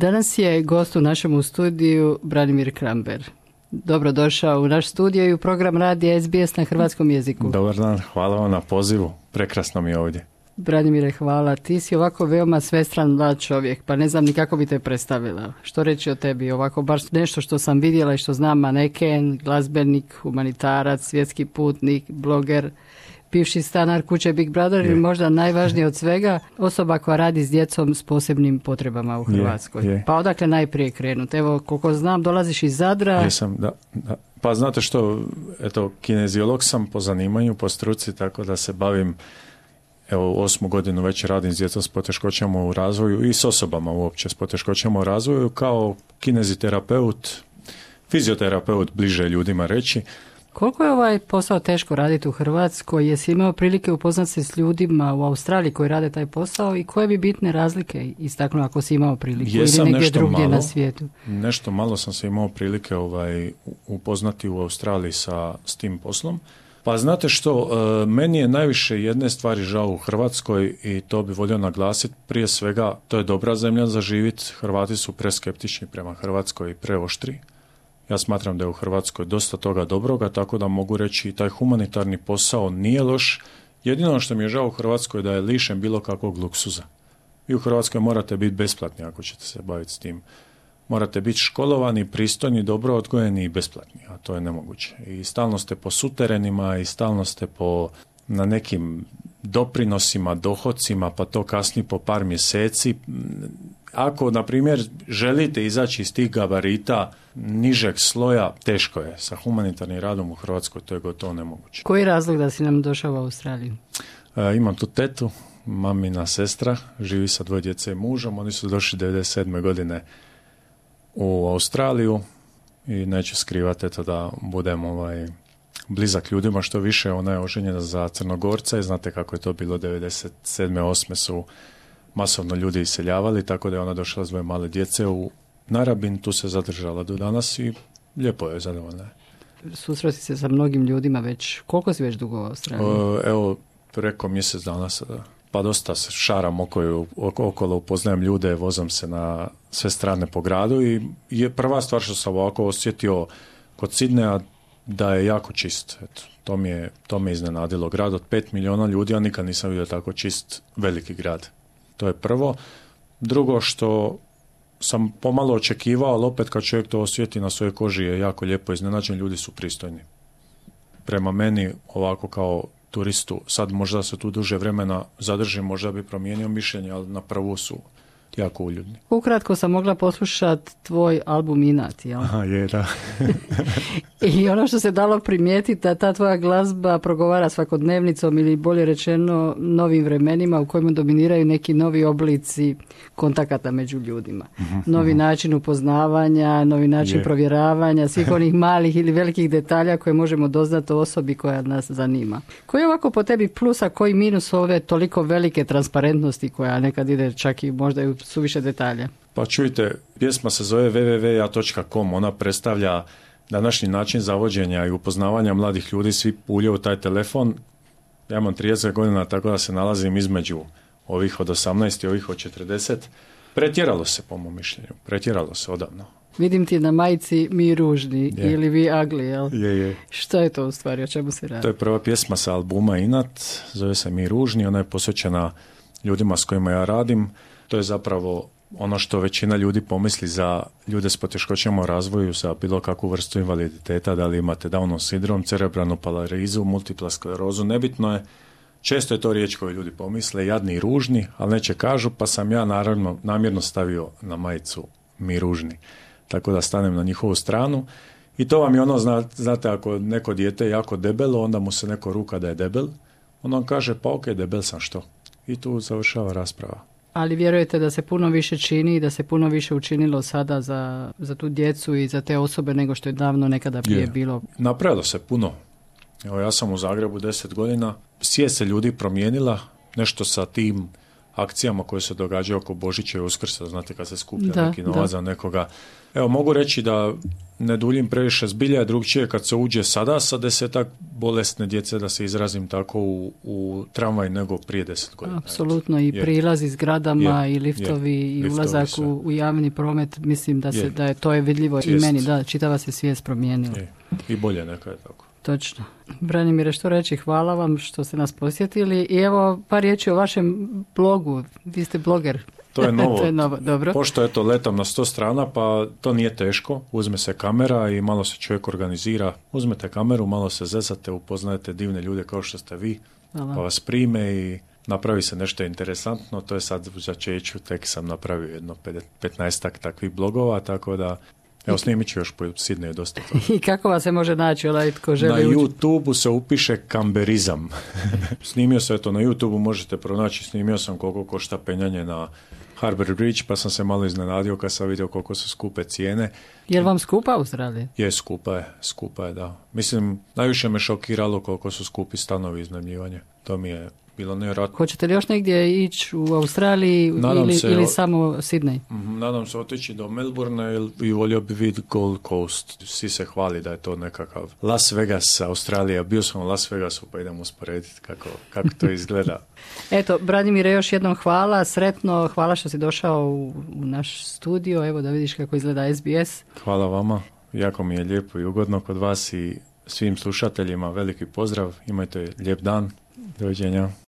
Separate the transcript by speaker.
Speaker 1: Danas je gost u našem studiju Branimir Kramber. Dobrodošao u naš studio i u program radija SBS na hrvatskom jeziku.
Speaker 2: Dobar dan, hvala vam na pozivu. Prekrasno mi je ovdje.
Speaker 1: Branimire, hvala. Ti si ovako veoma svestran mlad čovjek, pa ne znam ni kako bi te predstavila. Što reći o tebi? Ovako, baš nešto što sam vidjela i što znam, maneken, glazbenik, humanitarac, svjetski putnik, bloger, bivši stanar kuće Big Brother i možda najvažnije od svega, osoba koja radi s djecom s posebnim potrebama u Hrvatskoj. Pa odakle najprije krenuti? Evo, koliko znam, dolaziš iz Zadra.
Speaker 2: Jesam, da. Pa znate što, eto, kineziolog sam po zanimanju, po struci, tako da se bavim, evo, 8. godinu već radim s djecom s poteškoćama u razvoju i s osobama uopće s poteškoćama u razvoju kao kineziterapeut, fizioterapeut, bliže ljudima reći.
Speaker 1: Koliko je ovaj posao teško raditi u Hrvatskoj? Jesi imao prilike upoznati se s ljudima u Australiji koji rade taj posao i koje bi bitne razlike istaknuo ako si imao priliku ili negdje drugdje na svijetu?
Speaker 2: Nešto malo sam se imao prilike upoznati u Australiji s tim poslom. Pa znate što, meni je najviše jedne stvari žao u Hrvatskoj i to bi volio naglasiti. Prije svega, to je dobra zemlja za živjeti. Hrvati su preskeptični prema Hrvatskoj i preoštri. Ja smatram da je u Hrvatskoj dosta toga dobroga, tako da mogu reći i taj humanitarni posao nije loš. Jedino što mi je žao u Hrvatskoj je da je lišen bilo kakvog luksuza. Vi u Hrvatskoj morate biti besplatni ako ćete se baviti s tim. Morate biti školovani, pristojni, dobro odgojeni i besplatni, a to je nemoguće. I stalno ste po suterenima i stalno ste na nekim doprinosima, dohodcima, pa to kasni po par mjeseci. Ako, na primjer, želite izaći iz tih gabarita nižeg sloja, teško je. Sa humanitarnim radom u Hrvatskoj to je gotovo nemoguće.
Speaker 1: Koji je razlog da si nam došao u Australiju?
Speaker 2: Imam tu tetu, mamina sestra, živi sa 2 djece i mužom. Oni su došli 97. godine u Australiju i neću skrivati da budem blizak ljudima što više. Ona je oženjena za Crnogorca i znate kako je to bilo 97. 8. su masovno ljudi iseljavali, tako da je ona došla s 2 male djece u Narabin, tu se zadržala do danas i lijepo je, zadovoljna.
Speaker 1: Susreti se sa mnogim ljudima već, koliko si već dugo u Australiji?
Speaker 2: Evo, preko mjesec dana sada. Pa dosta se šaram okolo, upoznajem ljude, vozam se na sve strane po gradu i je prva stvar što sam ovako osjetio kod Sidneja da je jako čist. Eto, to me iznenadilo. Grad od 5 milijuna ljudi, ja nikad nisam vidio tako čist veliki grad. To je prvo. Drugo što sam pomalo očekivao, ali opet kad čovjek to osjeti na svojoj koži je jako lijepo iznenađen, ljudi su pristojni. Prema meni ovako kao turistu, sad možda se tu duže vremena zadržim, možda bi promijenio mišljenje, ali na prvu su jako uljudni.
Speaker 1: Ukratko sam mogla poslušati tvoj album Inat, jel?
Speaker 2: Aha, je, da.
Speaker 1: I ono što se dalo primijetiti da ta tvoja glazba progovara svakodnevnicom ili bolje rečeno novim vremenima u kojima dominiraju neki novi oblici kontakata među ljudima. Novi način upoznavanja, novi način provjeravanja, svih onih malih ili velikih detalja koje možemo doznati o osobi koja nas zanima. Koji je ovako po tebi plus, a koji minus ove toliko velike transparentnosti koja nekad ide čak i možda i u suviše detalja?
Speaker 2: Pa čujte, pjesma se zove www.ja.com, ona predstavlja današnji način zavođenja i upoznavanja mladih ljudi, svi puljaju taj telefon. Ja imam 30 godina, tako da se nalazim između ovih od 18 i ovih od 40. Pretjeralo se, po mom mišljenju, pretjeralo se odavno.
Speaker 1: Vidim ti na majici Mi ružni ili Vi ugly, jel?
Speaker 2: Je.
Speaker 1: Što je to u stvari, o čemu se radi?
Speaker 2: To je prva pjesma sa albuma Inat, zove se Mi ružni, ona je posvećena ljudima s kojima ja radim. To je zapravo ono što većina ljudi pomisli za ljude s poteškoćama u razvoju, za bilo kakvu vrstu invaliditeta, da li imate Downov sindrom, cerebralnu paralizu, multipla sklerozu, nebitno je. Često je to riječ koju ljudi pomisle, jadni i ružni, ali neće kažu, pa sam ja naravno namjerno stavio na majicu Mi ružni. Tako da stanem na njihovu stranu. I to vam je ono, znate, ako neko dijete je jako debelo, onda mu se neko ruka da je debel, onda on kaže, pa ok, debel sam, što? I tu završava rasprava.
Speaker 1: Ali vjerujete da se puno više čini i da se puno više učinilo sada za tu djecu i za te osobe nego što je davno nekada prije bilo?
Speaker 2: Napravilo se puno. Evo, ja sam u Zagrebu 10 godina. Svijest se ljudi promijenila, nešto sa tim akcijama koje se događaju oko Božića i Uskrsa, znate kad se skuplja neki novac za nekoga. Evo, mogu reći da ne duljim previše, zbilja je drugčije kad se uđe sada sa 10 bolesne djece, da se izrazim tako, u tramvaj nego prije 10 godina.
Speaker 1: Apsolutno, i prilazi zgradama i liftovi i ulazak u javni promet, mislim da to je vidljivo i meni, da, čitava se svijest promijenila.
Speaker 2: I bolje neka je tako.
Speaker 1: Točno. Branimire, što reći, hvala vam što ste nas posjetili i evo par riječi o vašem blogu, vi ste bloger.
Speaker 2: To je novo.
Speaker 1: To je novo, dobro.
Speaker 2: Pošto letam na 100 strana, pa to nije teško. Uzme se kamera i malo se čovjek organizira. Uzmete kameru, malo se zezate, upoznajete divne ljude kao što ste vi, pa vas prime i napravi se nešto interesantno. To je sad u začeću, tek sam napravio jedno 15 takvih blogova, tako da evo, snimit ću još po Sidneju dosta toga.
Speaker 1: I kako vas se može naći, tko želi
Speaker 2: Na YouTube-u se upiše kamberizam. Snimio sam na YouTube-u, možete pronaći, snimio sam koliko košta penjanje na Harbour Bridge, pa sam se malo iznenadio kad sam vidio koliko su skupe cijene.
Speaker 1: Je li vam skupa Australija?
Speaker 2: Je, skupa je, da. Mislim, najviše me šokiralo koliko su skupi stanovi iznajmljivanje. To mi je bilo nevjerojatno. Hoćete
Speaker 1: li još negdje ići u Australiji ili samo Sydney?
Speaker 2: Nadam se otići do Melbourne i volio bi vidjeti Gold Coast. Svi se hvali da je to nekakav Las Vegas, Australija. Bio sam u Las Vegasu, pa idemo usporediti kako to izgleda.
Speaker 1: Eto, Branimire, još jednom hvala, sretno, hvala što si došao u naš studio, evo da vidiš kako izgleda SBS.
Speaker 2: Hvala vama, jako mi je lijepo i ugodno kod vas i svim slušateljima veliki pozdrav, imajte lijep dan, doviđenja.